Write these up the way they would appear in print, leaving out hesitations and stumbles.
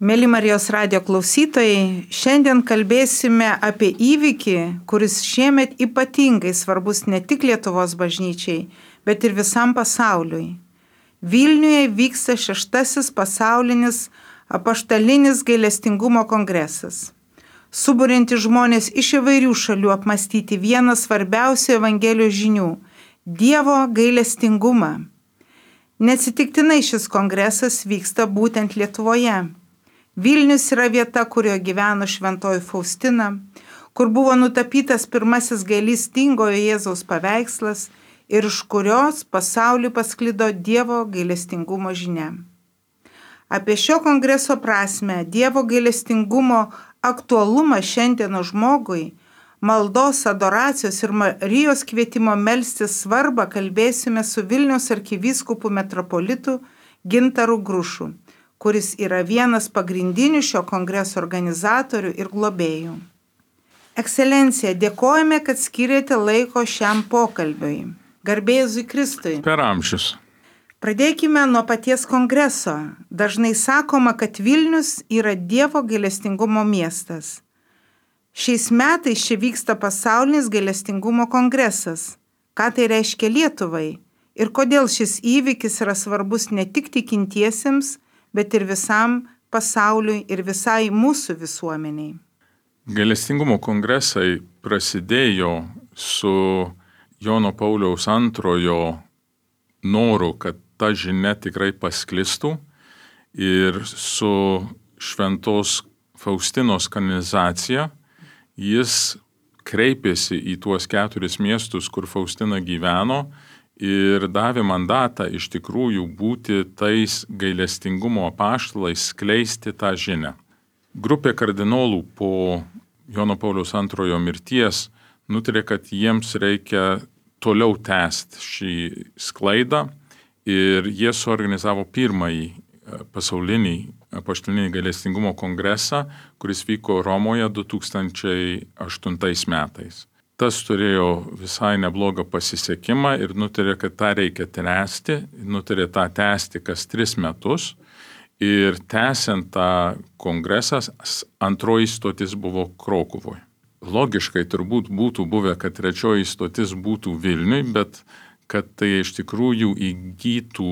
Mėly Marijos radijo klausytojai, šiandien kalbėsime apie įvykį, kuris šiemet ypatingai svarbus ne tik Lietuvos bažnyčiai, bet ir visam pasauliui. Vilniuje vyksta 6. pasaulinis apaštalinis gailestingumo kongresas, suburianti žmonės iš įvairių šalių apmąstyti vieną svarbiausių Evangelijos žinių – Dievo gailestingumą. Neatsitiktinai šis kongresas vyksta būtent Lietuvoje. Vilnius yra vieta, kurioje gyveno šventoji Faustina, kur buvo nutapytas pirmasis gailestingojo Jėzaus paveikslas ir iš kurios pasauliu pasklido Dievo gailestingumo žinia. Apie šio kongreso prasmę, Dievo gailestingumo aktualumą šiandieno žmogui, maldos, adoracijos ir Marijos kvietimo melstis svarbą kalbėsime su Vilniaus arkivyskupu metropolitu Gintaru Grušu, kuris yra vienas pagrindinių šio kongreso organizatorių ir globėjų. Ekscelencija, dėkojame, kad skiriate laiko šiam pokalbiui. Garbė Jėzui Kristui. Per amžius. Pradėkime nuo paties kongreso. Dažnai sakoma, kad Vilnius yra Dievo gailestingumo miestas. Šiais metais čia vyksta pasaulinis gailestingumo kongresas. Ką tai reiškia Lietuvai? Ir kodėl šis įvykis yra svarbus ne tik tikintiesiems, bet ir visam pasauliui ir visai mūsų visuomeniai. Gailestingumo kongresai prasidėjo su Jono Pauliaus II noru, kad ta žinia tikrai pasklistų ir su šventos Faustinos kanonizacija jis kreipėsi į tuos 4 miestus, kur Faustina gyveno, ir davė mandatą iš tikrųjų būti tais gailestingumo apaštalais, skleisti tą žinią. Grupė kardinolų po Jono Pauliaus II mirties nutarė, kad jiems reikia toliau tęsti šį sklaidą ir jie suorganizavo pirmąjį pasaulinį apaštalinį gailestingumo kongresą, kuris vyko Romoje 2008 metais. Tas turėjo visai neblogą pasisekimą ir nutarė, kad tą reikia tęsti, nutarė tą tęsti kas 3 metus. Ir tęsiant tą kongresą, antroji stotis buvo Krokuvoje. Logiškai turbūt būtų buvę, kad 3 stotis būtų Vilniui, bet kad tai iš tikrųjų įgytų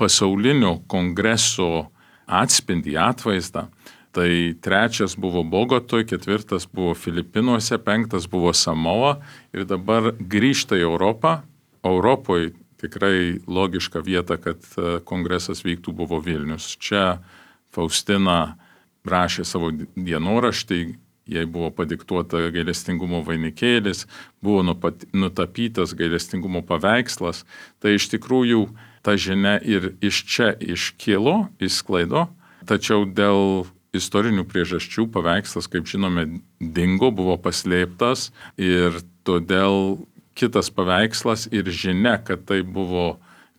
pasaulinio kongreso atspindį, atvaizdą. Tai 3 buvo Bogotoje, 4 buvo Filipinuose, 5 buvo Samoa ir dabar grįžta į Europą. Europoje tikrai logiška vieta, kad kongresas vyktų, buvo Vilnius. Čia Faustina rašė savo dienoraštį, jai buvo padiktuota gailestingumo vainikėlis, buvo nutapytas gailestingumo paveikslas. Tai iš tikrųjų ta žinia ir iš čia iškilo, išsklaido, tačiau dėl istorinių priežasčių paveikslas, kaip žinome, dingo, buvo paslėptas ir todėl kitas paveikslas ir žinia, kad tai buvo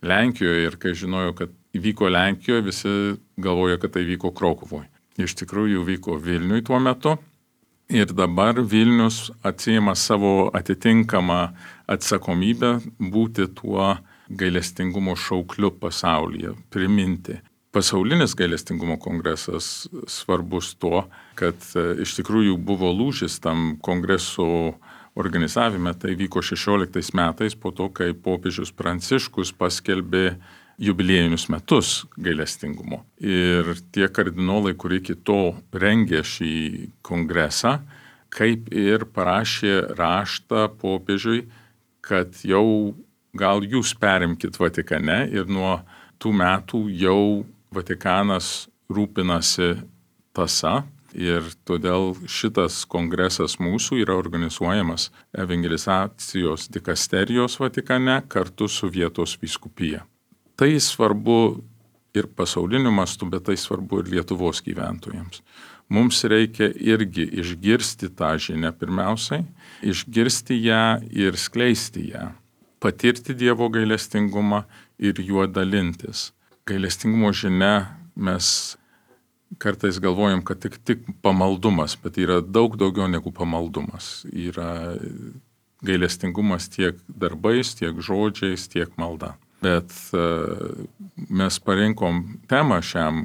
Lenkijoje ir kai žinojo, kad įvyko Lenkijoje, visi galvojo, kad tai vyko Krokuvoje. Iš tikrųjų vyko Vilniui tuo metu ir dabar Vilnius atsiima savo atitinkamą atsakomybę būti tuo gailestingumo šaukliu pasaulyje, priminti. Pasaulinis gailestingumo kongresas svarbus tuo, kad iš tikrųjų buvo lūžis tam kongreso organizavime. Tai vyko 16 metais po to, kai popiežius Pranciškus paskelbė jubiliejinius metus gailestingumo. Ir tie kardinolai, kurie iki to rengė šį kongresą, kaip ir parašė raštą popiežiui, kad jau gal jūs perimkit Vatikane ir nuo tų metų jau Vatikanas rūpinasi tąsa ir todėl šitas kongresas mūsų yra organizuojamas evangelizacijos dikasterijos Vatikane kartu su vietos vyskupija. Tai svarbu ir pasauliniu mastu, bet tai svarbu ir Lietuvos gyventojams. Mums reikia irgi išgirsti tą žinią pirmiausiai, išgirsti ją ir skleisti ją, patirti Dievo gailestingumą ir juo dalintis. Gailestingumo žinia mes kartais galvojam, kad tik pamaldumas, bet yra daug daugiau negu pamaldumas. Yra gailestingumas tiek darbais, tiek žodžiais, tiek malda. Bet mes parinkom temą šiam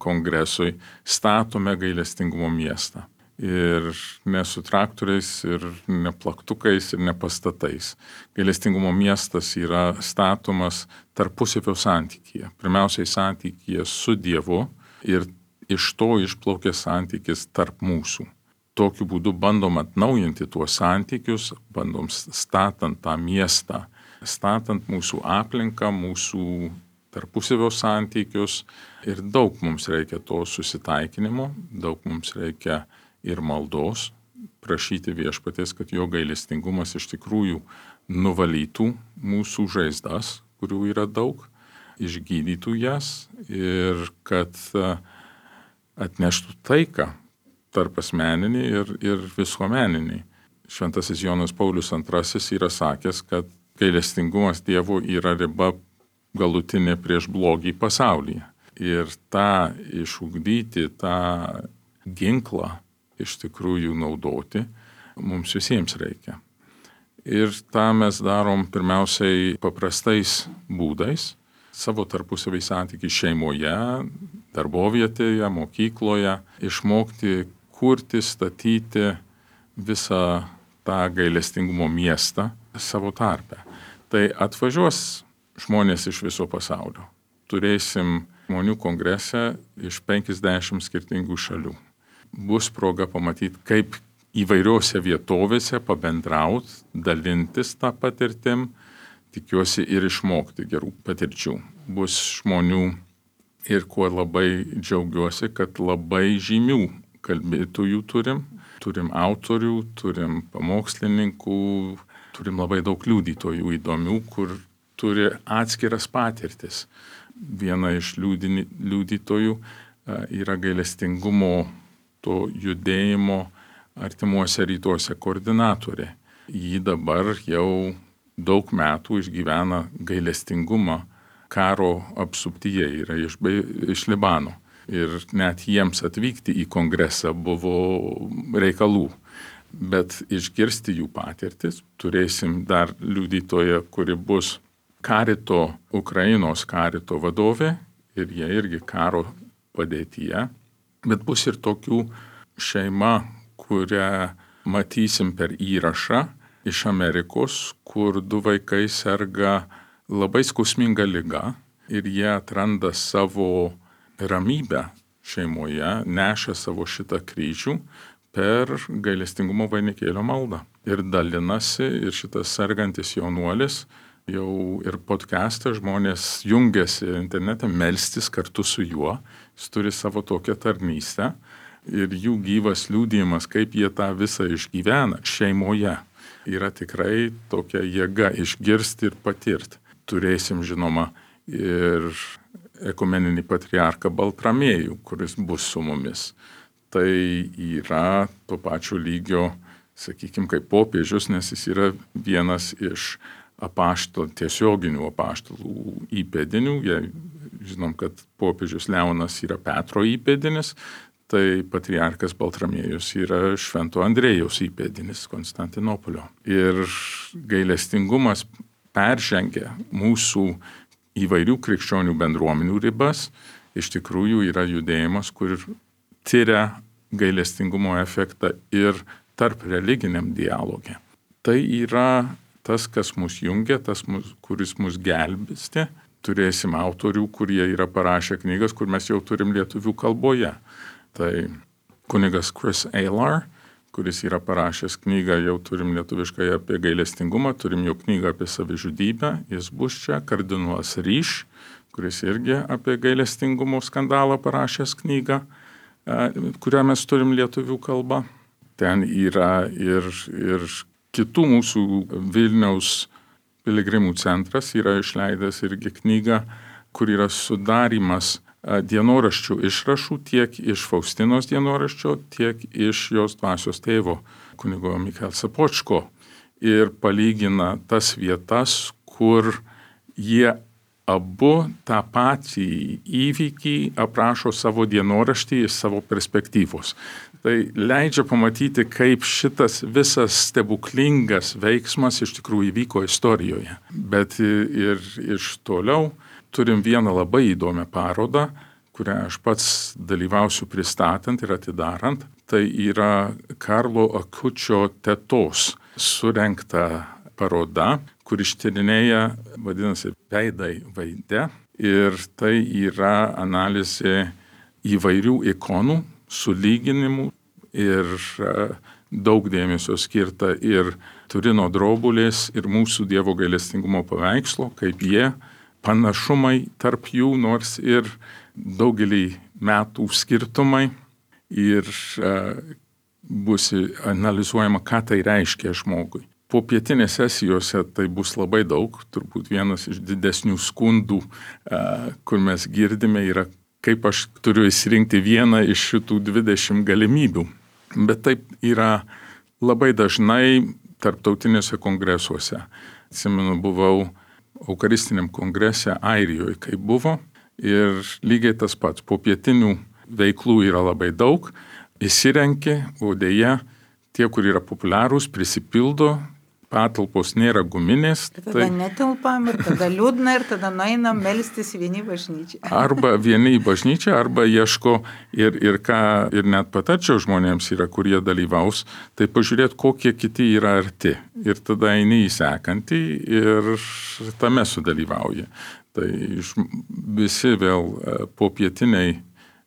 kongresui statome gailestingumo miestą. Ir ne su traktoriais, ir ne plaktukais, ir ne pastatais. Gailestingumo miestas yra statomas tarpusavio santykyje. Pirmiausiai santykyje su Dievu ir iš to išplaukia santykis tarp mūsų. Tokiu būdu bandom atnaujinti tuos santykius, bandom statant tą miestą, statant mūsų aplinką, mūsų tarpusavio santykius. Ir daug mums reikia to susitaikinimo, daug mums reikia ir maldos, prašyti Viešpaties, kad jo gailestingumas iš tikrųjų nuvalytų mūsų žaizdas, kurių yra daug, išgydytų jas ir kad atneštų taiką tarp asmeninį ir visuomeninį. Šventasis Jonas Paulius II yra sakęs, kad gailestingumas Dievo yra riba galutinė prieš blogį pasaulyje. Ir tą išugdyti, tą ginklą iš tikrųjų naudoti mums visiems reikia. Ir tą mes darom pirmiausiai paprastais būdais, savo tarpusavį santykių šeimoje, darbovietėje, mokykloje, išmokti kurti, statyti visą tą gailestingumo miestą savo tarpe. Tai atvažiuos žmonės iš viso pasaulio. Turėsim žmonių kongrese iš 50 skirtingų šalių. Bus proga pamatyti, kaip įvairiose vietovėse pabendraut, dalintis tą patirtim, tikiuosi ir išmokti gerų patirčių. Bus žmonių ir kuo labai džiaugiuosi, kad labai žymių kalbėtojų turim autorių, turim pamokslininkų, turim labai daug liudytojų įdomių, kur turi atskiras patirtis. Viena iš liudytojų yra gailestingumo to judėjimo artimuose rytuose koordinatorė. Ji dabar jau daug metų išgyvena gailestingumą karo apsuptyje, yra iš Libano. Ir net jiems atvykti į kongresą buvo reikalų. Bet išgirsti jų patirtis, turėsim dar liudytoją, kuri bus Ukrainos karito vadovė ir jie irgi karo padėtyje. Bet bus ir tokių šeima, kurią matysim per įrašą iš Amerikos, kur 2 vaikai serga labai skausminga liga ir jie atranda savo ramybę šeimoje, neša savo šitą kryžių per gailestingumo vainikėlio maldą. Ir dalinasi, ir šitas sergantis jaunuolis jau ir podcast'e žmonės jungiasi internete melstis kartu su juo. Jis turi savo tokią tarnystę ir jų gyvas liudijimas, kaip jie tą visą išgyvena šeimoje, yra tikrai tokia jėga išgirsti ir patirti. Turėsim, žinoma, ir ekumeninį patriarchą Baltramiejų, kuris bus su mumis. Tai yra to pačio lygio, sakykime, kaip popiežius, nes jis yra vienas iš tiesioginių apaštalų įpėdinių. Žinom, kad popiežius Leonas yra Petro įpėdinis, tai patriarkas Baltramiejus yra Švento Andrėjaus įpėdinis Konstantinopolio. Ir gailestingumas peržengia mūsų įvairių krikščionių bendruomenių ribas. Iš tikrųjų yra judėjimas, kur tyria gailestingumo efektą ir tarp religiniam dialogė. Tai yra tas, kas mus jungia, kuris mus gelbsti. Turėsim autorių, kurie yra parašę knygas, kur mes jau turim lietuvių kalboje. Tai kunigas Chris Aylar, kuris yra parašęs knygą, jau turim lietuviškai apie gailestingumą, turim jau knygą apie savižudybę, jis bus čia. Kardinolas Ryš, kuris irgi apie gailestingumo skandalą parašęs knygą, kurią mes turim lietuvių kalbą. Ten yra ir kitų mūsų Vilniaus piligrimų centras yra išleidęs irgi knygą, kur yra sudarimas dienoraščių išrašų tiek iš Faustinos dienoraščio, tiek iš jos dvasios tėvo, kunigo Michael Sapočko. Ir palygina tas vietas, kur jie abu tą patį įvykį aprašo savo dienoraštį iš savo perspektyvos. Tai leidžia pamatyti, kaip šitas visas stebuklingas veiksmas iš tikrųjų įvyko istorijoje. Bet ir iš toliau turim vieną labai įdomią parodą, kurią aš pats dalyvausiu pristatant ir atidarant, tai yra Karlo Akučio tetos surengta paroda, kur ištyrinėja, vadinasi, veidai vaide. Ir tai yra analizė įvairių ikonų, sulyginimų ir daug dėmesio skirta ir Turino drobulės, ir mūsų Dievo gailestingumo paveikslo, kaip jie, panašumai tarp jų, nors ir daugelį metų skirtumai. Ir bus analizuojama, ką tai reiškia žmogui. Po pietinės sesijose tai bus labai daug, turbūt vienas iš didesnių skundų, kur mes girdime, yra, kaip aš turiu įsirinkti vieną iš šitų 20 galimybių. Bet taip yra labai dažnai tarptautinėse kongresuose. Atsimenu, buvau Eucharistiniam kongrese Airijoje, kai buvo, ir lygiai tas pats. Po pietinių veiklų yra labai daug, įsirenki, o deja, tie, kur yra populiarūs, prisipildo, patalpos nėra guminės. Tada netilpam ir tada liūdna ir tada nueinam melstis vieni bažnyčiai. Arba vieni į bažnyčią, arba ieško ir ką ir net patarčiau žmonėms yra, kurie dalyvaus, tai pažiūrėti, kokie kiti yra arti. Ir tada eini į sekantį ir tame sudalyvauji. Tai visi vėl popietiniai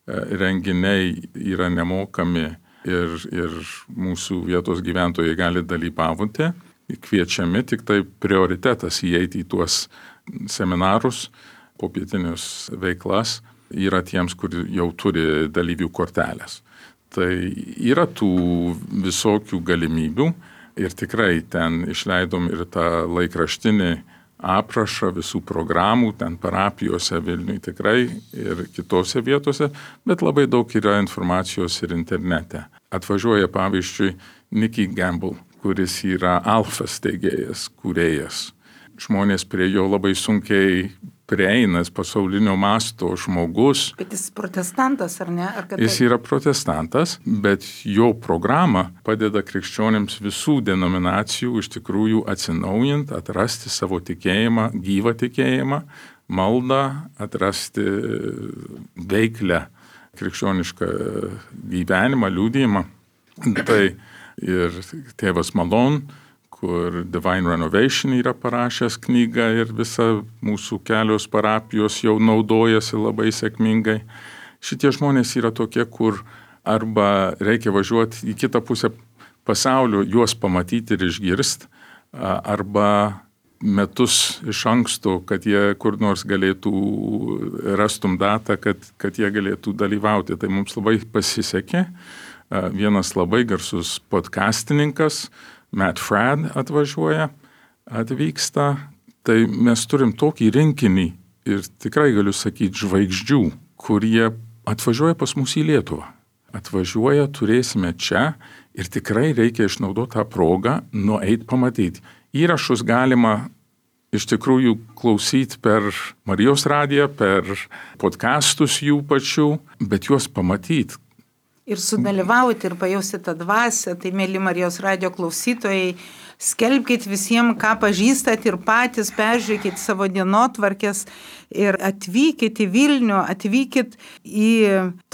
renginiai yra nemokami ir mūsų vietos gyventojai gali dalyvauti. Kviečiami, tik tai prioritetas įeiti į tuos seminarus, popietinius veiklas yra tiems, kur jau turi dalyvių kortelės. Tai yra tų visokių galimybių ir tikrai ten išleidom ir tą laikraštinį aprašą visų programų, ten parapijose Vilniuje tikrai ir kitose vietose, bet labai daug yra informacijos ir internete. Atvažiuoja pavyzdžiui Nicky Gamble, kuris yra Alfa steigėjas, kūrėjas. Žmonės prie jo labai sunkiai prieinas, pasaulinio masto žmogus. Bet jis protestantas, ar ne? Jis yra protestantas, bet jo programa padeda krikščionėms visų denominacijų iš tikrųjų atsinaujinti, atrasti savo tikėjimą, gyvą tikėjimą, maldą, atrasti veiklę krikščionišką gyvenimą, liudijimą. Tai ir tėvas Malone, kur Divine Renovation yra parašęs knygą ir visa mūsų kelios parapijos jau naudojasi labai sėkmingai. Šitie žmonės yra tokie, kur arba reikia važiuoti į kitą pusę pasaulio, juos pamatyti ir išgirsti, arba metus iš anksto, kad jie kur nors galėtų rastum datą, kad jie galėtų dalyvauti. Tai mums labai pasisekė. Vienas labai garsus podcastininkas, Matt Fradd atvyksta. Tai mes turim tokį rinkinį ir tikrai galiu sakyti žvaigždžių, kurie atvažiuoja pas mus į Lietuvą. Atvažiuoja, turėsime čia ir tikrai reikia išnaudoti tą progą, nueit pamatyti. Įrašus galima iš tikrųjų klausyti per Marijos radiją, per podcastus jų pačių, bet juos pamatyti. Ir sudalyvauti ir pajausti tą dvasią, tai mėly Marijos radijo klausytojai, skelbkite visiems, ką pažįstat ir patys peržiūrėkite savo dienotvarkės ir atvykite į Vilnių, atvykite į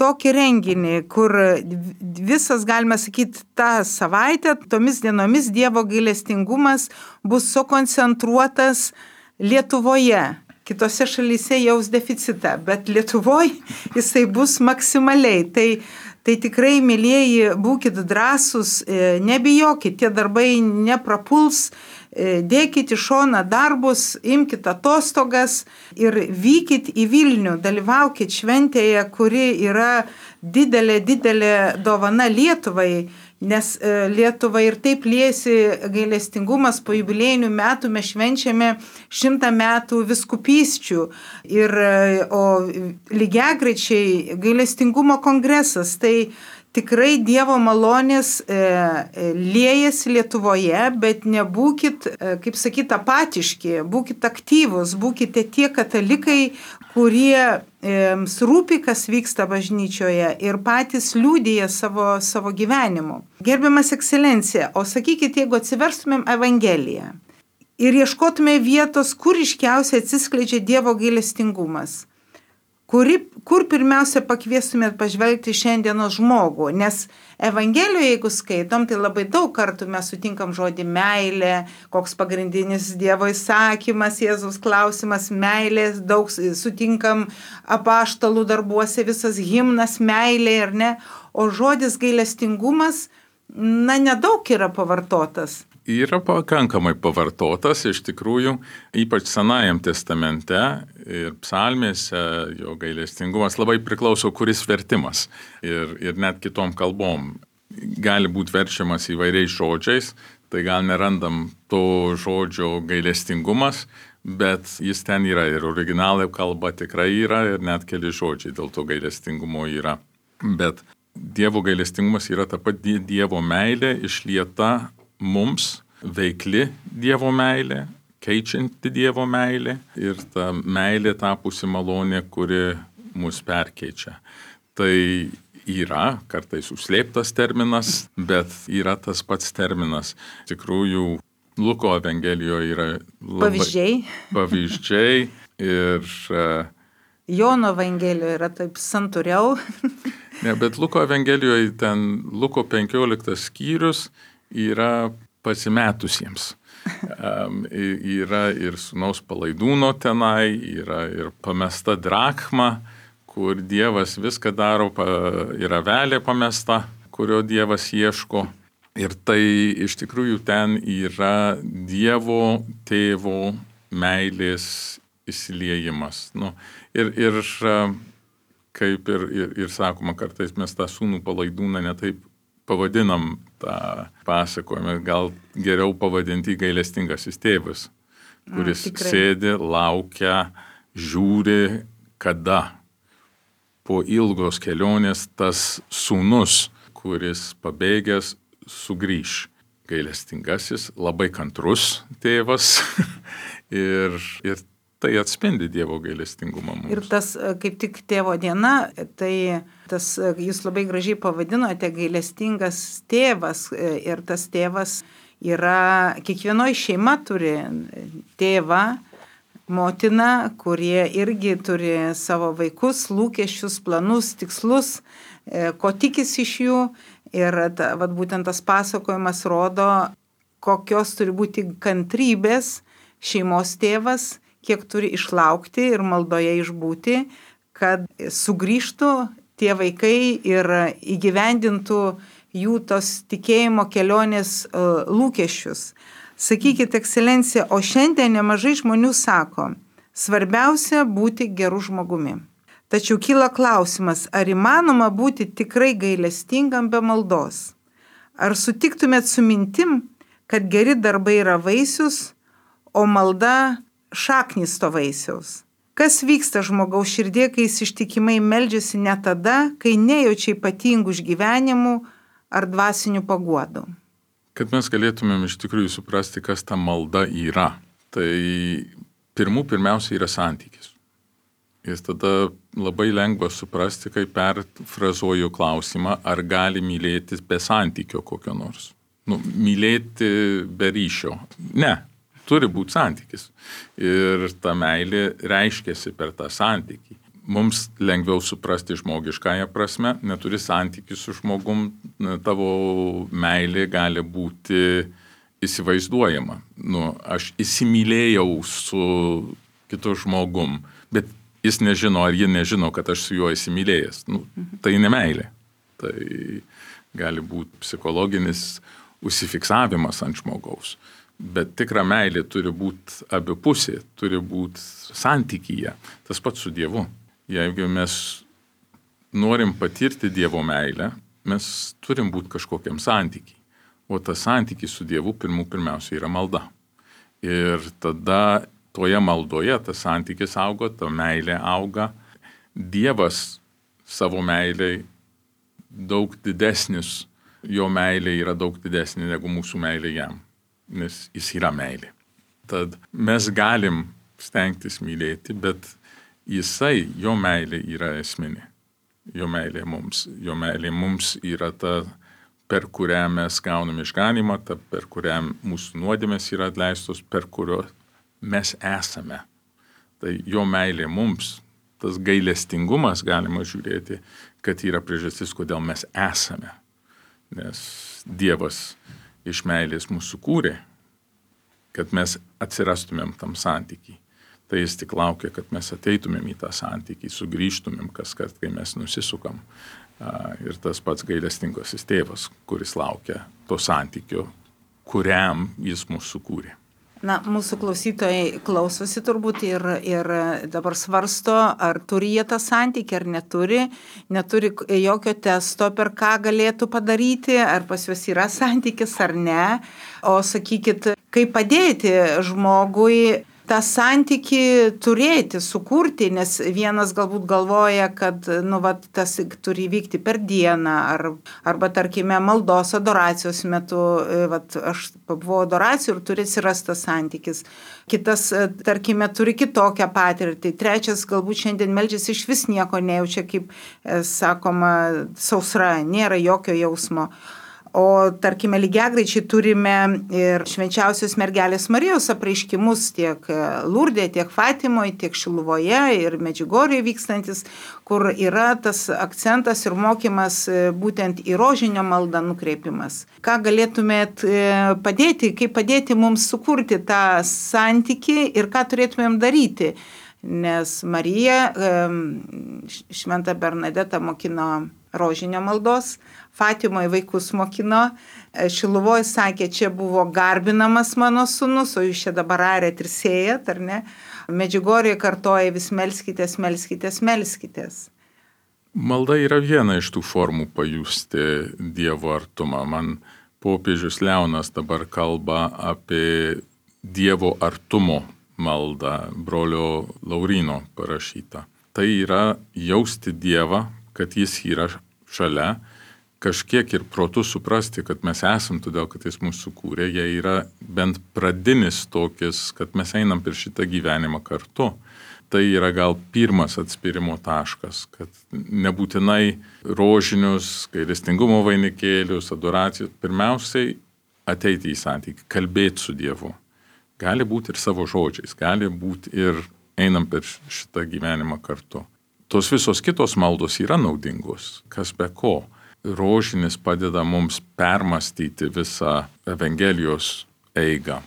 tokį renginį, kur visas, galime sakyti, tą savaitę, tomis dienomis Dievo gailestingumas bus sukoncentruotas Lietuvoje. Kitose šalyse jaus deficitą, bet Lietuvoje jisai bus maksimaliai. Tai tikrai, mėlieji, būkite drąsūs, nebijokit, tie darbai neprapuls, dėkit į šoną darbus, imkite atostogas ir vykit į Vilnių, dalyvaukit šventėje, kuri yra didelė dovana Lietuvai, nes Lietuva ir taip liesi gailestingumas, po jubiliejinių metų mes švenčiame 100 metų viskupysčių, o lygiagrečiai gailestingumo kongresas, tai tikrai Dievo malonės liejasi Lietuvoje, bet nebūkit, kaip sakyt, apatiški, būkit aktyvus, būkite tie katalikai, kurie rūpi, kas vyksta bažnyčioje ir patys liudija savo gyvenimu. Gerbiamas ekscelencija, o sakykit, jeigu atsiverstumėm Evangeliją ir ieškotume vietos, kur ryškiausiai atsiskleidžia Dievo gailestingumas, kur pirmiausia pakviestumėt pažvelgti šiandienos žmogų, nes Evangelijoje, jeigu skaitom, tai labai daug kartų mes sutinkam žodį meilė, koks pagrindinis Dievo įsakymas, Jėzaus klausimas meilės, daug sutinkam apaštalų darbuose, visas himnas meilė, ar ne, o žodis gailestingumas, nedaug yra pavartotas. Yra pakankamai pavartotas, iš tikrųjų, ypač Senajam testamente ir psalmėse jo gailestingumas labai priklauso, kuris vertimas ir net kitom kalbom. Gali būti verčiamas įvairiais žodžiais, tai gal nerandam to žodžio gailestingumas, bet jis ten yra ir originalė kalba tikrai yra ir net keli žodžiai dėl to gailestingumo yra. Bet Dievo gailestingumas yra ta pati Dievo meilė išlieta mums, veikli Dievo meilė, keičianti Dievo meilė ir ta meilė tapusi malonė, kuri mus perkeičia. Tai yra kartais užslėptas terminas, bet yra tas pats terminas. Tikrųjų, Luko Evangelijoje yra pavyzdžiai ir Jono Evangelijoje yra taip santūriau. Ne, bet Luko Evangelijoje ten Luko 15 skyrius yra pasimetusiems. Yra ir sūnaus palaidūno tenai, yra ir pamesta drachma, kur Dievas viską daro, yra avelė pamesta, kurio Dievas ieško. Ir tai iš tikrųjų ten yra Dievo tėvo meilės įsiliejimas. Ir kaip ir sakoma, kartais mes tą sūnų palaidūną netaip pavadinam tą pasakojimą, gal geriau pavadinti gailestingasis tėvas, kuris sėdi, laukia, žiūri, kada po ilgos kelionės tas sūnus, kuris pabėgęs, sugrįš. Gailestingasis, labai kantrus tėvas ir tai atspindi Dievo gailestingumą mums. Ir tas kaip tik tėvo diena, tai tas jūs labai gražiai pavadinote gailestingas tėvas. Ir tas tėvas yra, kiekvienoje šeima turi tėvą, motiną, kurie irgi turi savo vaikus, lūkesčius, planus, tikslus, ko tikisi iš jų. Ir būtent tas pasakojimas rodo, kokios turi būti kantrybės šeimos tėvas, kiek turi išlaukti ir maldoje išbūti, kad sugrįžtų tie vaikai ir įgyvendintų jų tos tikėjimo kelionės lūkesčius. Sakykit, ekscelencija, o šiandien nemažai žmonių sako, svarbiausia būti geru žmogumi. Tačiau kyla klausimas, ar įmanoma būti tikrai gailestingam be maldos? Ar sutiktumėt su mintim, kad geri darbai yra vaisius, o malda šaknis to vaisiaus? Kas vyksta žmogaus širdie, kai jis ištikimai meldžiasi ne tada, kai nejaučia ypatingų išgyvenimų ar dvasinių paguodų? Kad mes galėtumėm iš tikrųjų suprasti, kas ta malda yra, tai pirmiausia yra santykis. Ir tada labai lengva suprasti, kai perfrazuoju klausimą, ar gali mylėtis be santykio kokio nors. Mylėti be ryšio. Ne. Turi būti santykis. Ir ta meilė reiškiasi per tą santykį. Mums lengviau suprasti žmogiškąją prasme, neturi santykį su žmogum, tavo meilė gali būti įsivaizduojama. Aš įsimylėjau su kitu žmogum, bet jis nežino, ar ji nežino, kad aš su juo įsimylėjęs. Tai ne meilė. Tai gali būti psichologinis užsifiksavimas ant žmogaus. Bet tikra meilė turi būti abipusė, turi būti santykyje. Tas pats su Dievu. Jeigu mes norim patirti Dievo meilę, mes turim būti kažkokiam santykiai. O tas santykis su Dievu pirmiausia yra malda. Ir tada toje maldoje tas santykis auga, ta meilė auga. Dievas savo meiliai daug didesnis, jo meilė yra daug didesnė negu mūsų meilė jam. Nes jis yra meilė. Tad mes galim stengtis mylėti, bet jo meilė yra esminė. Jo meilė mums yra ta, per kurią mes gauname išganymą, ta, per kurią mūsų nuodėmės yra atleistos, per kurio mes esame. Tai jo meilė mums tas gailestingumas galima žiūrėti, kad yra priežastis, kodėl mes esame. Nes Dievas iš meilės mūsų kūrė, kad mes atsirastumėm tam santykiai. Tai jis tik laukia, kad mes ateitumėm į tą santykį, sugrįžtumėm kaskart, kai mes nusisukam. Ir tas pats gailestingasis tėvas, kuris laukia to santykio, kuriam jis mūsų sukūrė. Na, mūsų klausytojai klausosi turbūt ir dabar svarsto, ar turi jie tą santykį, ar neturi jokio testo, per ką galėtų padaryti, ar pas juos yra santykis, ar ne. O sakykit, kaip padėti žmogui tą santykį turėti, sukurti, nes vienas galbūt galvoja, kad tas turi vykti per dieną, arba tarkime maldos adoracijos metu, aš pabuvau adoracijų ir turi atsirasti tas santykis. Kitas, tarkime, turi kitokią patirtį. Trečias galbūt šiandien meldžiasi iš vis nieko nejaučia, kaip sakoma, sausra, nėra jokio jausmo. O tarkime, lygiagrečiai turime ir švenčiausios mergelės Marijos apreiškimus tiek Lurdė, tiek Fatimoje, tiek Šiluvoje ir Medžiugorėje vykstantis, kur yra tas akcentas ir mokymas būtent į rožinio maldą nukreipimas. Ką galėtumėt padėti, kaip padėti mums sukurti tą santykį ir ką turėtumėm daryti? Nes Marija, šventa Bernadeta mokino rožinio maldos, Fatimoje vaikus mokino, Šiluvoje sakė, čia buvo garbinamas mano sūnus, o jūs čia dabar arėt ir sėjat, ar ne? Medžiugorėje kartoja vis melskitės, melskitės, melskitės. Malda yra viena iš tų formų pajusti Dievo artumą. Man popiežius Leonas dabar kalba apie Dievo artumo maldą, brolio Laurino parašytą. Tai yra jausti Dievą, kad jis yra šalia, kažkiek ir protu suprasti, kad mes esam, todėl kad jis mūsų sukūrė, jie yra bent pradinis tokis, kad mes einam per šitą gyvenimą kartu. Tai yra gal pirmas atspirimo taškas, kad nebūtinai rožinius, gailestingumo vainikėlius, adoracijos, pirmiausiai ateiti į santykį, kalbėti su Dievu. Gali būti ir savo žodžiais, gali būti ir einam per šitą gyvenimą kartu. Tos visos kitos maldos yra naudingos, kas be ko. Rožinis padeda mums permastyti visą Evangelijos eigą.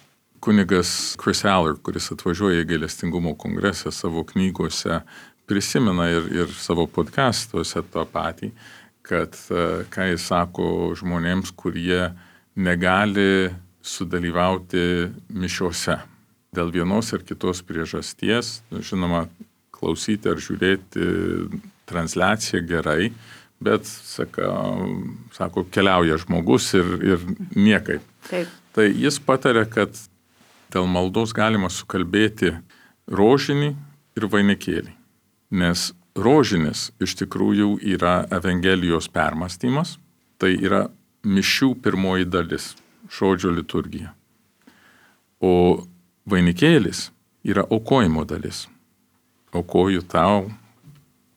Kunigas Chris Aller, kuris atvažiuoja į gailestingumo kongresą savo knygose, prisimena ir savo podcastuose tą patį, kad ką jis sako žmonėms, kurie negali sudalyvauti mišiose. Dėl vienos ar kitos priežasties, žinoma, klausyti ar žiūrėti transliaciją gerai, bet, sako, keliauja žmogus ir niekaip. Taip. Tai jis patarė, kad dėl maldos galima sukalbėti rožinį ir vainikėlį. Nes rožinis iš tikrųjų yra Evangelijos permąstymas, tai yra mišių pirmoji dalis, žodžio liturgija. O vainikėlis yra aukojimo dalis. Aukoju tau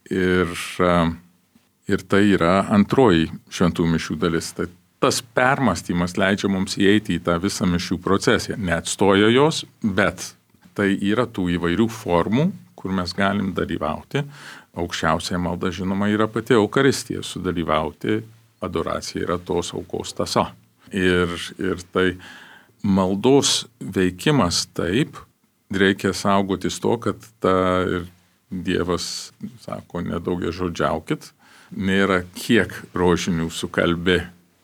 ir tai yra antroji šventų mišių dalis. Tai tas permąstymas leidžia mums įeiti į tą visą mišių procesiją. Neatstoja jos, bet tai yra tų įvairių formų, kur mes galim dalyvauti. Aukščiausia malda, žinoma, yra pati Eukaristija. Sudalyvauti adoracija yra tos aukos tąsa. Ir tai maldos veikimas taip, reikia saugotis to, kad ir Dievas sako, nedaugiažodžiaukit, nėra kiek rožinių sukalbė,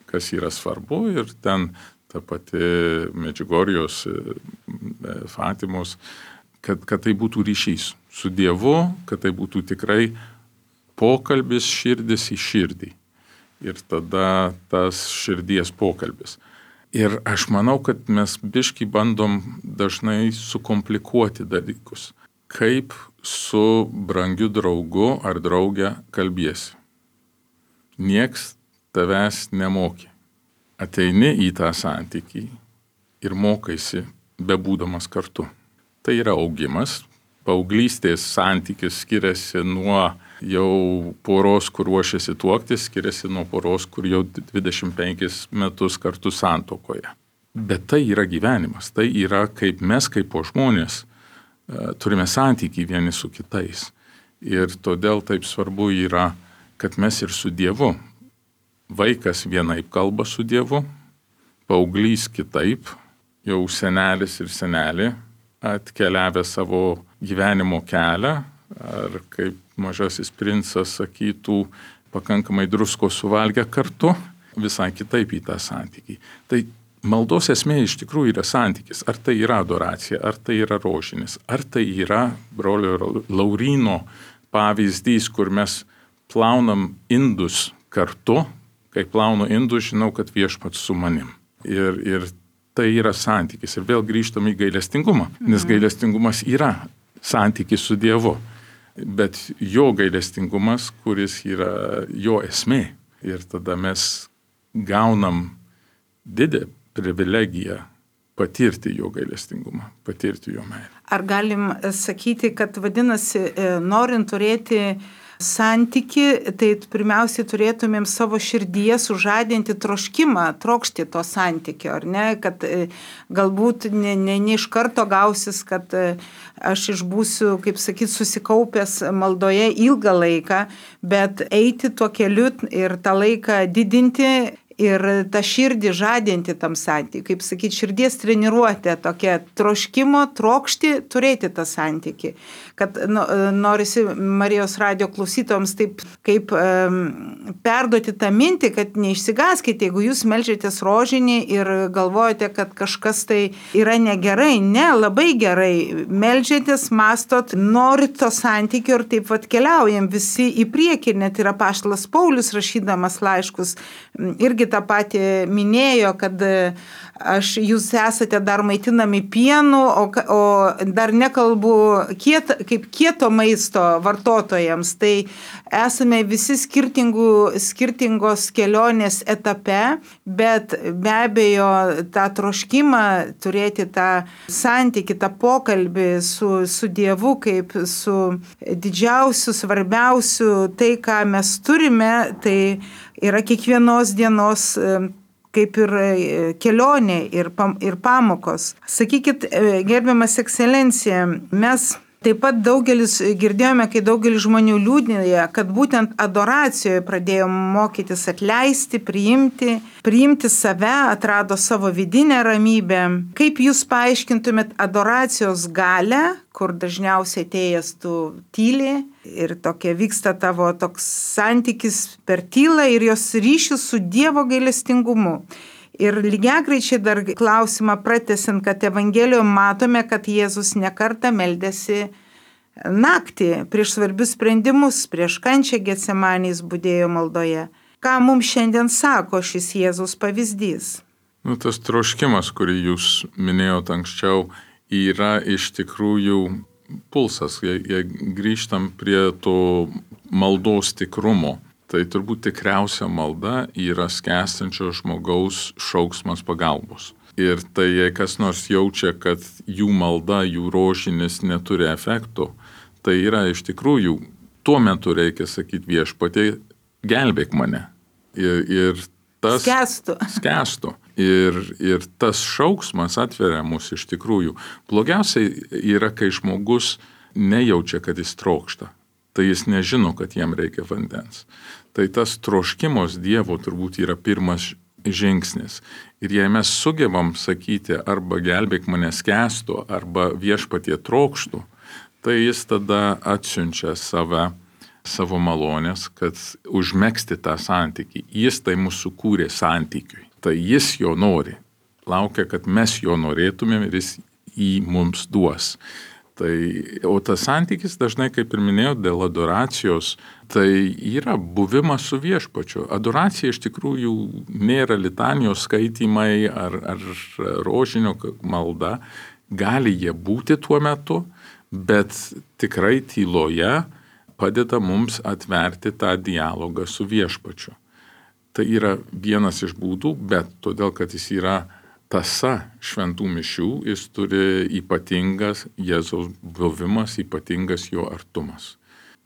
kas yra svarbu, ir ten ta pati Medžiugorijos, Fatimos, kad tai būtų ryšys su Dievu, kad tai būtų tikrai pokalbis širdis į širdį. Ir tada tas širdies pokalbis. Ir aš manau, kad mes biškį bandom dažnai sukomplikuoti dalykus. Kaip su brangiu draugu ar drauge kalbiesi. Nieks tavęs nemokė. Ateini į tą santykį ir mokaisi bebūdamas kartu. Tai yra augimas. Paauglystės santykis skiriasi nuo jau poros, kur ruošiasi tuoktis, skiriasi nuo poros, kur jau 25 metus kartu santuokoje. Bet tai yra gyvenimas. Tai yra kaip mes, kaip po žmonės, turime santykį vieni su kitais. Ir todėl taip svarbu yra, kad mes ir su Dievu. Vaikas vienaip kalba su Dievu, paauglys kitaip, jau senelis ir senelė atkeliavę savo gyvenimo kelią, ar kaip Mažasis princas sakytų, pakankamai drusko suvalgę kartu, visai kitaip į tą santykį. Tai maldos esmė iš tikrųjų yra santykis. Ar tai yra adoracija, ar tai yra rožinis, ar tai yra brolio Lauryno pavyzdys, kur mes plaunam indus kartu. Kai plaunu indus, žinau, kad Viešpats su manim. Ir tai yra santykis. Ir vėl grįžtam į gailestingumą, nes gailestingumas yra santykis su Dievu. Bet jo gailestingumas, kuris yra jo esmė. Ir tada mes gaunam didelę privilegiją patirti jo gailestingumą, patirti jo meilę. Ar galim sakyti, kad vadinasi, norint turėti santyki, tai pirmiausiai turėtumėm savo širdyje sužadinti troškimą, trokšti to santykio, ar ne, kad galbūt ne iš karto gausis, kad aš išbūsiu, kaip sakyt, susikaupęs maldoje ilgą laiką, bet eiti tuo keliu ir tą laiką didinti ir tą širdį žadinti tam santykiui, kaip sakyti, širdies treniruotė, tokia troškimo, trokšti, turėti tą santykį. Kad norisi Marijos radijo klausytojams taip kaip perduoti tą mintį, kad neišsigaskite, jeigu jūs melžiatės rožinį ir galvojate, kad kažkas tai yra negerai. Ne, labai gerai. Melžiatės, mastot, norit to santykio ir taip vat keliaujam visi į priekį. Net yra apaštalas Paulius rašydamas laiškus irgi tą patį minėjo, kad jūs esate dar maitinami pienu, o dar nekalbu kaip kieto maisto vartotojams. Tai esame visi skirtingos kelionės etape, bet be abejo tą troškimą turėti tą santykį, tą pokalbį su Dievu kaip su didžiausiu, svarbiausiu, tai ką mes turime, tai yra kiekvienos dienos kaip ir kelionė ir pamokos. Sakykit, gerbiamas ekscelencija, mes taip pat daugelis girdėjome, kai daugelis žmonių liūdinėja, kad būtent adoracijoje pradėjo mokytis atleisti, priimti save, atrado savo vidinę ramybę. Kaip jūs paaiškintumėt adoracijos galią, kur dažniausiai atėjęs tu tyli ir tokia vyksta tavo toks santykis per tylą ir jos ryšius su Dievo gailestingumu. Ir lygiagreičiai dar klausimą pratęsiant, kad Evangelijoje matome, kad Jėzus nekartą meldėsi naktį prieš svarbius sprendimus, prieš kančią Getsemanės budėjo maldoje. Ką mums šiandien sako šis Jėzus pavyzdys? Tas troškimas, kurį jūs minėjote anksčiau, yra iš tikrųjų pulsas. Jei grįžtam prie to maldos tikrumo, tai turbūt tikriausia malda yra skęstančio žmogaus šauksmas pagalbos. Ir tai, jei kas nors jaučia, kad jų malda, jų rožinis neturi efekto, tai yra iš tikrųjų, tuo metu reikia sakyti Viešpatie, gelbėk mane. Ir tas skęstų. Ir tas šauksmas atveria mus iš tikrųjų. Blogiausiai yra, kai žmogus nejaučia, kad jis trokšta. Tai jis nežino, kad jam reikia vandens. Tai tas troškimos Dievo turbūt yra pirmas žingsnis. Ir jei mes sugebam sakyti arba gelbėk mane skęstu, arba Viešpatie trokštų, tai jis tada atsiunčia savo malonės, kad užmegzti tą santykį. Jis tai mūsų kūrė santykiui. Tai jis jo nori. Laukia, kad mes jo norėtumėm ir jis jį mums duos. O tas santykis dažnai, kaip ir minėjau, dėl adoracijos, tai yra buvimas su Viešpačiu. Adoracija iš tikrųjų nėra litanijos skaitymai ar rožinio malda. Gali jie būti tuo metu, bet tikrai tyloje padeda mums atverti tą dialogą su Viešpačiu. Tai yra vienas iš būdų, bet todėl, kad jis yra tąsa šventų mišių, jis turi ypatingas Jėzaus buvimas, ypatingas jo artumas.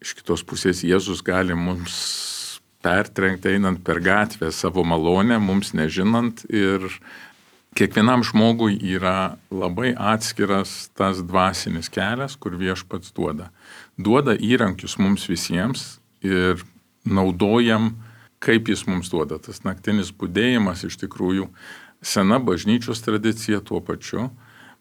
Iš kitos pusės Jėzus gali mums pertrenkti einant per gatvę savo malonę, mums nežinant ir kiekvienam žmogui yra labai atskiras tas dvasinis kelias, kur Viešpats duoda. Duoda įrankius mums visiems ir naudojam, kaip jis mums duoda. Tas naktinis budėjimas iš tikrųjų sena bažnyčios tradicija tuo pačiu,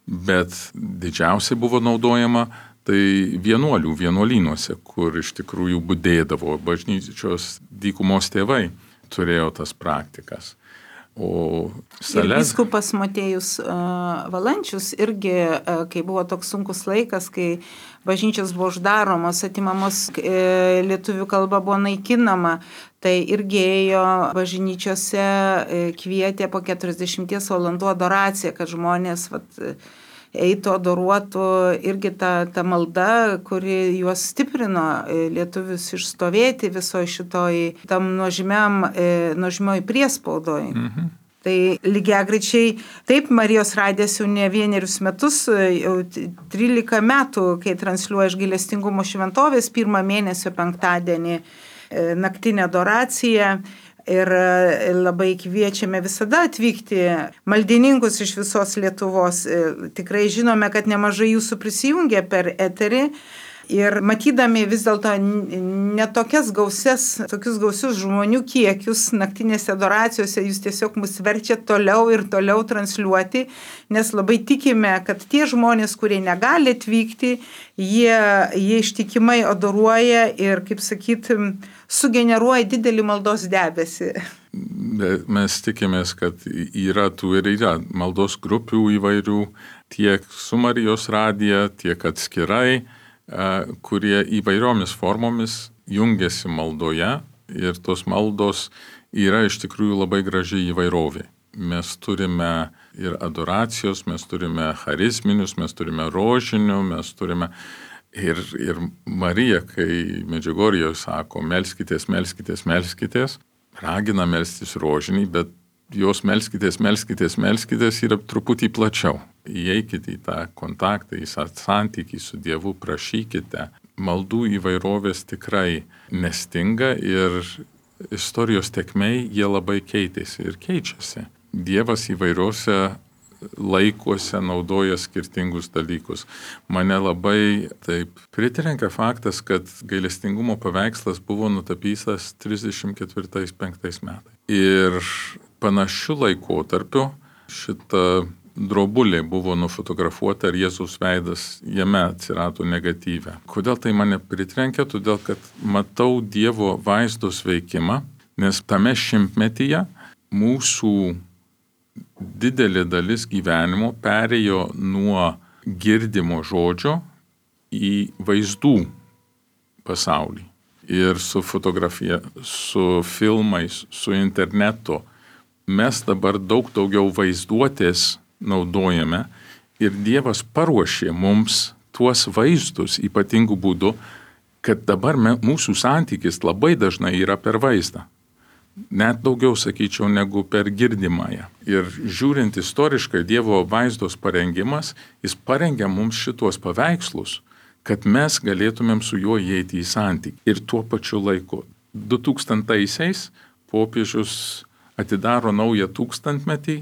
bet didžiausiai buvo naudojama tai vienuolynuose, kur iš tikrųjų budėdavo. Bažnyčios dykumos tėvai turėjo tas praktikas. O ir vyskupas Motiejus Valančius irgi, kai buvo toks sunkus laikas, kai bažnyčios buvo uždaromos, atimamos, lietuvių kalba buvo naikinama, tai irgi ėjo bažnyčiose, kvietė po 40 valandų adoraciją, kad žmonės eitų, adoruotų, irgi ta malda, kuri juos stiprino lietuvius išstovėti visoje šitoj tam nuožmioj priespaudoj. Tai lygiagrečiai, taip, Marijos radijas jau ne vienerius metus, jau 13 metų, kai transliuoja iš gailestingumo šventovės 1 mėnesio penktadienį naktinę adoraciją. Ir labai kviečiame visada atvykti maldininkus iš visos Lietuvos. Tikrai žinome, kad nemažai jūsų prisijungia per eterį. Ir matydami vis dėlto tokius gausius žmonių kiekius naktinėse adoracijose, jūs tiesiog mus verčia toliau ir toliau transliuoti, nes labai tikime, kad tie žmonės, kurie negali atvykti, jie ištikimai adoruoja ir, kaip sakyti, sugeneruoja didelį maldos debesį. Mes tikimės, kad yra maldos grupių įvairių, tiek su Marijos radija, tiek atskirai, kurie įvairiomis formomis jungiasi maldoje ir tos maldos yra iš tikrųjų labai graži įvairovė. Mes turime ir adoracijos, mes turime charizminius, mes turime rožinių, mes turime ir Marija, kai Medžiugorjėje sako, melskitės, melskitės, melskitės, ragina melstis rožinį, bet jos melskitės yra truputį plačiau. Įeikite į tą kontaktą, į santykį su Dievu, prašykite. Maldų įvairovės tikrai nestinga ir istorijos tėkmėj jie labai keitėsi ir keičiasi. Dievas įvairiuose laikuose naudoja skirtingus dalykus. Mane labai taip pritrenkia faktas, kad gailestingumo paveikslas buvo nutapytas 34-35 metais. Ir panašiu laikotarpiu šita drobulė buvo nufotografuota ir Jėzaus veidas jame atsirado negatyve. Kodėl tai mane pritrenkia? Todėl, kad matau Dievo vaizdos veikimą, nes tame šimtmetyje mūsų didelė dalis gyvenimo perėjo nuo girdimo žodžio į vaizdų pasaulį. Ir su fotografija, su filmais, su internetu mes dabar daug daugiau vaizduotės naudojame ir Dievas paruošė mums tuos vaizdus ypatingų būdų, kad dabar mūsų santykis labai dažnai yra per vaizdą. Net daugiau, sakyčiau, negu per girdimąją. Ir žiūrint istoriškai Dievo vaizdos parengimas, jis parengia mums šitos paveikslus, kad mes galėtumėm su juo įeiti į santykį. Ir tuo pačiu laiku. 2000-aisiais popiežius atidaro naują tūkstantmetį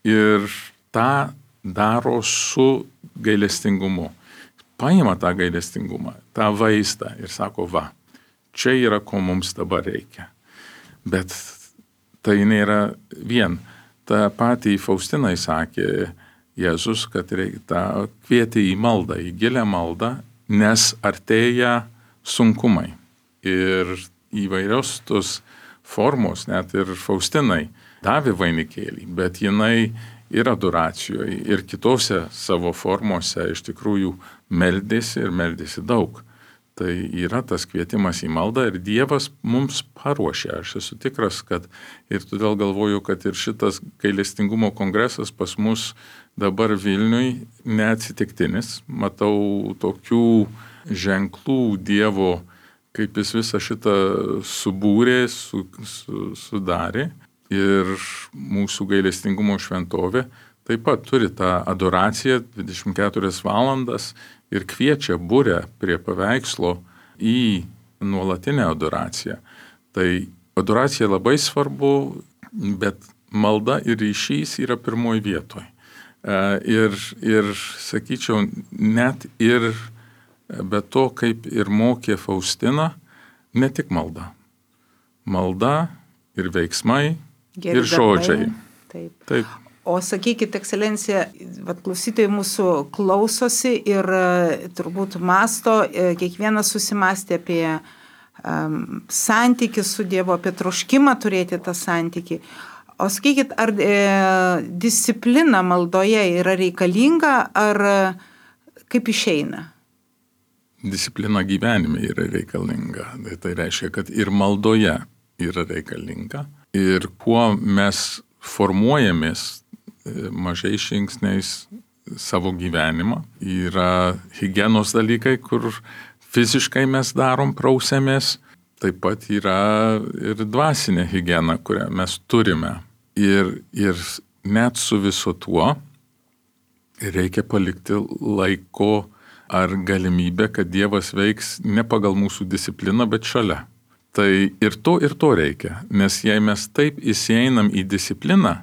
ir tą daro su gailestingumu. Paima tą gailestingumą, tą vaizdą ir sako, čia yra, ko mums dabar reikia. Bet tai nėra vien. Ta patį Faustinai sakė Jėzus, kad reikia kvieti į maldą, į gilę maldą, nes artėja sunkumai. Ir įvairios tos formos, net ir Faustinai davė vainikėlį, bet jinai ir adoracijoje, ir kitose savo formose iš tikrųjų meldėsi daug. Tai yra tas kvietimas į maldą ir Dievas mums paruošė. Aš esu tikras, kad ir todėl galvoju, kad ir šitas gailestingumo kongresas pas mus dabar Vilniui neatsitiktinis. Matau tokių ženklų Dievo, kaip jis visą šitą subūrė, sudarė. Ir mūsų gailestingumo šventovė taip pat turi tą adoraciją 24 valandas ir kviečia burę prie paveikslo į nuolatinę adoraciją. Tai adoracija labai svarbu, bet malda ir ryšys yra pirmoji vietoje. Ir sakyčiau, net ir be to, kaip ir mokė Faustina, ne tik malda. Malda ir veiksmai, Geri ir žodžiai. Taip. Taip. O sakykit, ekscelencija, klausytojai mūsų klausosi ir turbūt masto, kiekvienas susimastė apie santykį su Dievu, apie troškimą turėti tą santykį. O sakykit, ar disciplina maldoje yra reikalinga, ar kaip išeina? Disciplina gyvenime yra reikalinga. Tai reiškia, kad ir maldoje yra reikalinga. Ir kuo mes formuojamės mažais žingsniais savo gyvenimą, yra higienos dalykai, kur fiziškai mes darom, prausiamės. Taip pat yra ir dvasinė higiena, kurią mes turime. Ir net su viso tuo reikia palikti laiko ar galimybę, kad Dievas veiks ne pagal mūsų discipliną, bet šalia. Tai ir to reikia, nes jei mes taip įsieinam į discipliną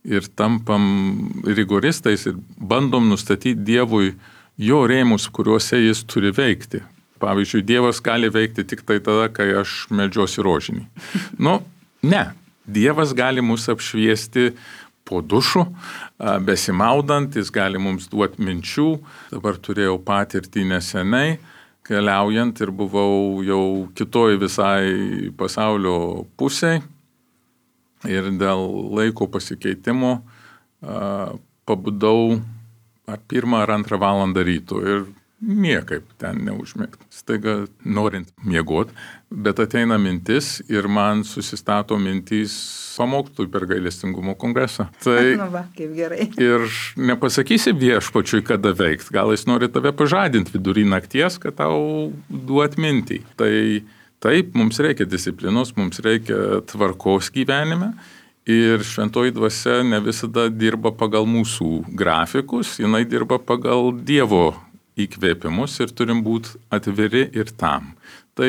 ir tampam rigoristais ir bandom nustatyti Dievui jo rėmus, kuriuose jis turi veikti. Pavyzdžiui, Dievas gali veikti tik tai tada, kai aš meldžiuosi rožinį. Ne. Dievas gali mus apšviesti po dušu, besimaudant, jis gali mums duoti minčių. Dabar turėjau patirtį neseniai, keliaujant ir buvau jau kitoj visai pasaulio pusėj. Ir dėl laiko pasikeitimo pabudau ar 1 ar 2 valandą ryto ir niekaip ten neužmigti. Staiga norint miegot, bet ateina mintis ir man susistato mintys pamokslui per gailestingumo kongresą. Tai kaip gerai. Ir nepasakysi viešpačiui, kada veikt. Gal jis nori tave pažadinti vidury nakties, kad tau duot mintį. Tai taip, mums reikia disciplinos, mums reikia tvarkos gyvenime. Ir šventoji dvasia ne visada dirba pagal mūsų grafikus, jinai dirba pagal Dievo įkvėpimus ir turim būti atviri ir tam. Tai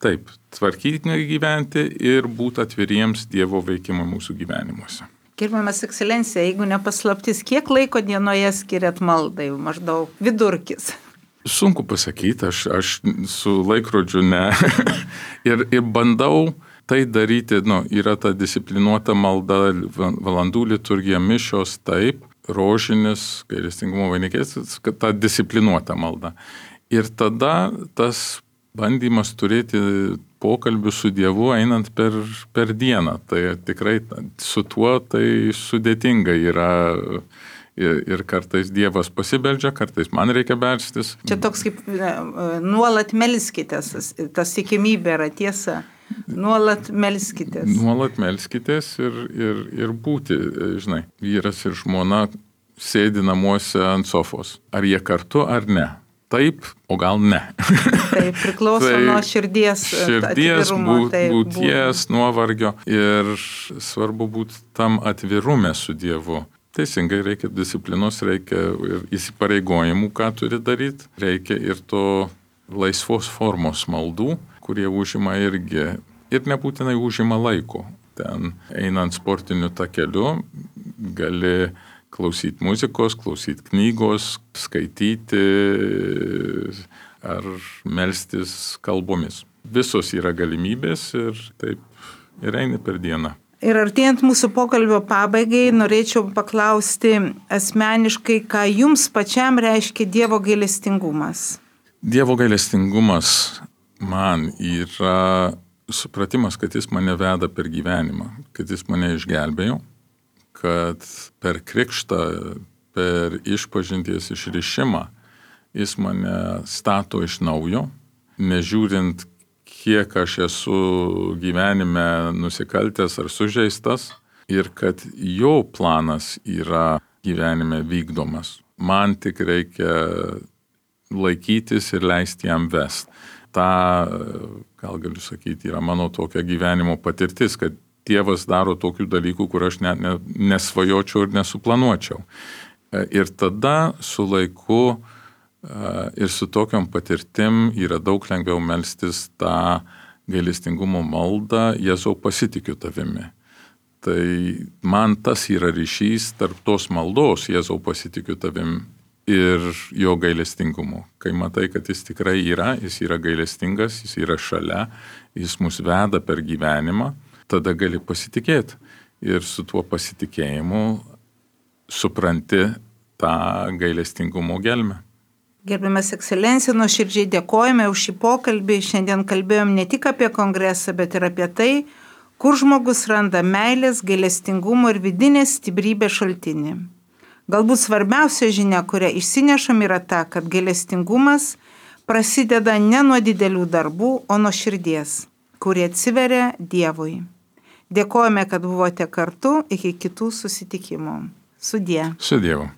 taip, tvarkytinai gyventi ir būti atviriems Dievo veikimui mūsų gyvenimuose. Gerbiamas ekscelencija, jeigu nepaslaptis, kiek laiko dienoje skiriat maldai, maždaug vidurkis? Sunku pasakyti, aš su laikrodžiu ne. ir bandau tai daryti, yra ta disciplinuota malda, valandų liturgija, mišios, taip, rožinis, gailestingumo vainikėlis, kad ta disciplinuota malda. Ir tada tas bandymas turėti pokalbių su Dievu einant per dieną. Tai tikrai su tuo tai sudėtinga yra. Ir kartais Dievas pasibeldžia, kartais man reikia belstis. Čia toks kaip nuolat melskitės, tas tikimybė yra tiesa. Nuolat melskitės. Nuolat melskitės ir būti, žinai, vyras ir žmona sėdi namuose ant sofos. Ar jie kartu, ar ne? Taip, o gal ne. Taip, priklauso nuo širdies būties, nuovargio. Ir svarbu būti tam atvirume su Dievu. Teisingai, reikia disciplinos, reikia ir įsipareigojimų, ką turi daryti. Reikia ir to laisvos formos maldų, kurie užima irgi ir nebūtinai užima laiko. Ten einant sportiniu takeliu gali klausyti muzikos, klausyti knygos, skaityti ar melstis kalbomis. Visos yra galimybės ir taip ir eini per dieną. Ir artėjant mūsų pokalbio pabaigai, norėčiau paklausti asmeniškai, ką jums pačiam reiškia Dievo gailestingumas. Dievo gailestingumas man yra supratimas, kad jis mane veda per gyvenimą, kad jis mane išgelbėjo, kad per krikštą, per išpažinties išrišimą jis mane stato iš naujo, nežiūrint, kiek aš esu gyvenime nusikaltęs ar sužeistas ir kad jo planas yra gyvenime vykdomas. Man tik reikia laikytis ir leisti jam vest. Ta, gal galiu sakyti, yra mano tokia gyvenimo patirtis, kad Dievas daro tokių dalykų, kur aš net nesvajočiau ir nesuplanuočiau. Ir tada su laiku ir su tokiom patirtim yra daug lengviau melstis tą gailestingumo maldą, Jėzau, pasitikiu tavimi. Tai man tas yra ryšys tarp tos maldos, Jėzau pasitikiu tavim, ir jo gailestingumo. Kai matai, kad jis tikrai yra, jis yra gailestingas, jis yra šalia, jis mus veda per gyvenimą, tada gali pasitikėti. Ir su tuo pasitikėjimu supranti tą gailestingumo gelmę. Gerbiamas ekscelencija, nuoširdžiai dėkojame už šį pokalbį. Šiandien kalbėjom ne tik apie kongresą, bet ir apie tai, kur žmogus randa meilės, gailestingumo ir vidinės stiprybės šaltinį. Galbūt svarbiausia žinia, kurią išsinešam, yra ta, kad gailestingumas prasideda ne nuo didelių darbų, o nuo širdies, kurie atsiveria Dievui. Dėkojame, kad buvote kartu, iki kitų susitikimų. Sudie. Su Dievu.